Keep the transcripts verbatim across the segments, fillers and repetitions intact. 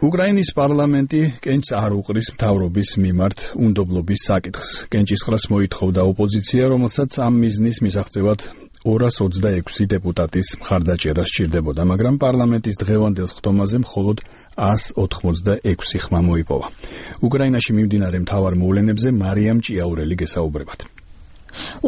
უკრაინის პარლამენტი კენჭს არ უყრის მთავრობის მიმართ უნდობლობის საკითხს. კენჭისყრას მოითხოვდა ოპოზიცია, რომელსაც ამ მიზნის მისაღწევად ორას ოცდაექვსი დეპუტატის მხარდაჭერა სჭირდებოდა, მაგრამ პარლამენტის დღევანდელ ხდომაზე მხოლოდ ას ოთხმოცდაექვსი ხმა მოიპოვა. უკრაინაში მიმდინარე მთავარ მოვლენებზე მარიამ ჭიაურელი გესაუბრებათ.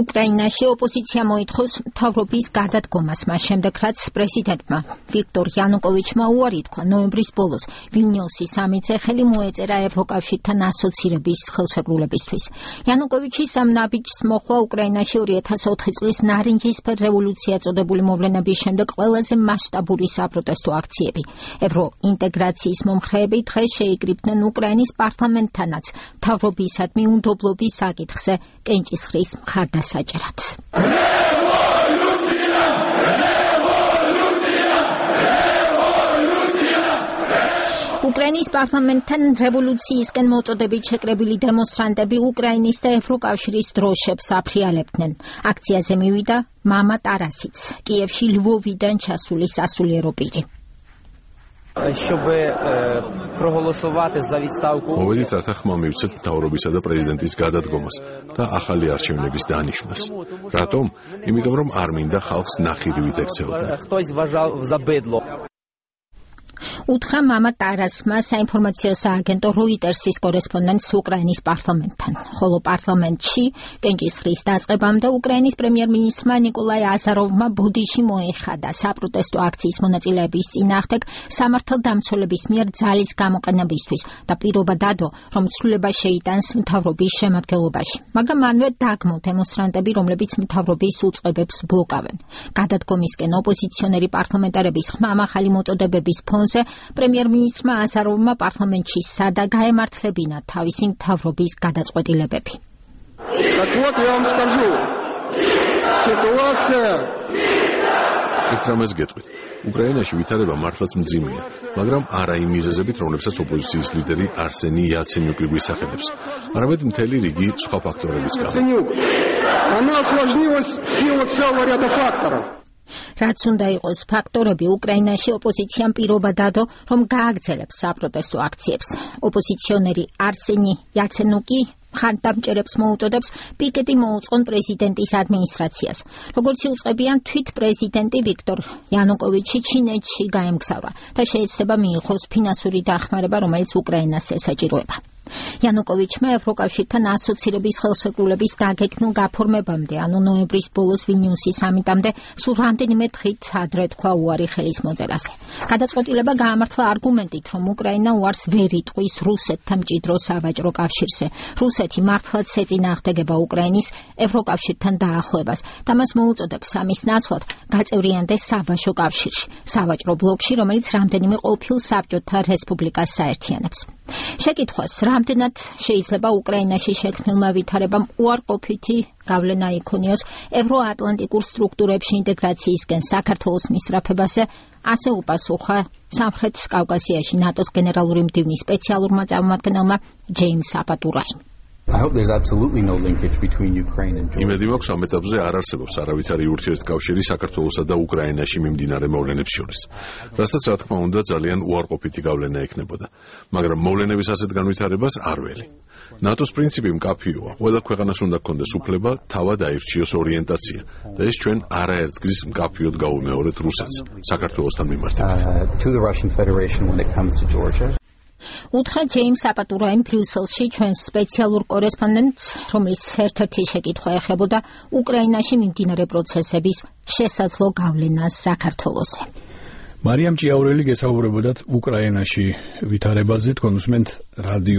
უკრაინაში ოპოზიცია მოითხოვს მთავრობის გადადგომას მას შემდეგ, რაც პრეზიდენტმა ვიქტორ იანუკოვიჩმა უარი თქვა ნოემბრის ბოლოს ვილნიუსის სამიტზე ხელი მოეწერა ევროკავშირთან ასოცირების ხელშეკრულებისთვის. იანუკოვიჩის ამ ნაბიჯს მოხვა უკრაინაში ორი ათას ოთხი წლის ნარინჯისფერ რევოლუცია წოდებული მოვლენების შემდეგ ყველაზე მასშტაბური საპროტესტო აქციები. ევროინტეგრაციის მომხრეები დღეს შეიკრიბნენ უკრაინის პარლამენტთანაც მთავრობისადმი უნდობლობის საკითხზე კენჭისყრის მხარდასაჭერად. უკრაინის პარლამენტთან რევოლუციისკენ მოწოდებით შეკრებილი დემონსტრანტები უკრაინის და ევროკავშირის დროშებს აფრიალებდნენ. აქციაზე მივიდა მამა ტარასიც, კიევში ლვოვიდან ჩასული სასულიერო პირი. Щоб проголосувати за відставку. მოვედით, რათა ხმა მივცეთ მთავრობისა და პრეზიდენტის გადადგომას და ახალი არჩევნების დანიშვნას. რატომ? იმიტომ რომ არ მინდა ხალხს ნახირივით ექცეოდნენ. Хтось вважав за бидло. უთხრა მამა ტარასმა საინფორმაციო სააგენტო როიტერსის კორესპონდენტს უკრაინის პარლამენტთან. ხოლო პარლამენტში კენჭისყრის დაწყებამდე უკრაინის პრემიერ-მინისტრმა ნიკოლაი აზაროვმა ბოდიში მოეხადა საპროტესტო აქციის მონაწილეების წინააღმდეგ სამართალდამცველების მიერ ძალის გამოყენებისთვის და პირობა დადო, რომ ცვლილება შეიტანს მთავრობის შემადგენლობაში. მაგრამ მანვე დაგმო დემონსტრანტები, რომლებიც მთავრობის უწყებებს ბლოკავენ. გადადგომისკენ ოპოზიციონერი პარლამენტარების ხმამაღალი მოწოდებების ფონზე პრემიერ-მინისტრმა აზაროვმა პარლამენტში სადა გაემართლებინა თავისი მთავრობის გადაწყვეტილებები. ერთ რამეს გეტყვით. უკრაინაში ვითარება მართლაც მძიმეა, მაგრამ არა იმ მიზეზებით, რომლებსაც ოპოზიციის ლიდერი არსენი იაცენიუკი გვისახელებს, არამედ მთელი რიგი სხვა ფაქტორების გამო. რაც უნდა იყოს ფაქტორები, უკრაინაში ოპოზიციამ პირობა დადო, რომ გააგრძელებს საპროტესტო აქციებს. ოპოზიციონერი არსენი იაცენიუკი მხარდამჭერებს მოუწოდებს პიკეტი მოუწყონ პრეზიდენტის ადმინისტრაციას. როგორც იუწყებიან, თვით პრეზიდენტი ვიქტორ იანუკოვიჩი ჩინეთში გაემგზავრა და შეეცდება მიიღოს ფინანსური დახმარება, რომელიც უკრაინას ესაჭიროება. იანუკოვიჩმა ევროკავშირთან ასოცირების ხელშეკრულების დაგეგმილ გაფორმებამდე, ანუ ნოემბრის ბოლოს ვილნიუსის სამიტამდე, სულ რამდენიმე დღით ადრე თქვა უარი ხელის მოწერაზე. გადაწყვეტილება გაამართლა არგუმენტით, რომ უკრაინა უარს ვერ იტყვის რუსეთთან მჭიდრო სავაჭრო კავშირზე. რუსეთი მართლაც ეწინააღმდეგება უკრაინის ევროკავშირთან დაახლოებას და მას მოუწოდებს ამის ნაცვლად გაწევრიანდეს საბაჟო კავშირში, სავაჭრო ბლოკში, რომელიც რამდენიმე ყოფილ საბჭოთა რესპუბლიკას საერთიანებს. შეკითხვას, რამდენად შეიძლება უკრაინაში შექმნილმა ვითარებამ უარყოფითი გავლენა იქონიოს ევროატლანტიკურ სტრუქტურებში ინტეგრაციისკენ საქართველოს მისწრაფებაზე, ასე უპასუხა სამხრეთ კავკასიაში ნატოს გენერალური მდივნის სპეციალურმა წარმომადგენელმა ჯეიმს აპატურაიმ. I hope there's absolutely no linkage between Ukraine and Georgia. იმედი მაქვს ამ ეტაპზე არ არსებობს არავითარი ურთიერთკავშირი საქართველოსა და უკრაინაში მიმდინარე მოვლენებს შორის. რასაც რა თქმა უნდა ძალიან უარყოფითი გავლენა ექნებოდა, მაგრამ მოვლენების ასეთ განვითარებას არ ველი. ნატოს პრინციპი მკაფიოა. ყველა ქვეყანას უნდა ჰქონდეს უფლება თავად აირჩიოს ორიენტაცია და ეს ჩვენ არაერთგზის მკაფიოდ გაუმეორეთ რუსეთს საქართველოსთან მიმართებით. To the Russian Federation when it comes to Georgia. უთხრა ჯეიმს აპატურაიმ ბრიუსელში ჩვენს სპეციალურ კორესპონდენტს, რომლის ერთ-ერთი შეკითხვა ეხებოდა უკრაინაში მიმდინარე პროცესების შესაძლო გავლენას საქართველოზე. მარიამ ჭიაურელი გესაუბრებოდათ უკრაინაში ვითარებაზე, თქვენ უსმენთ რადიო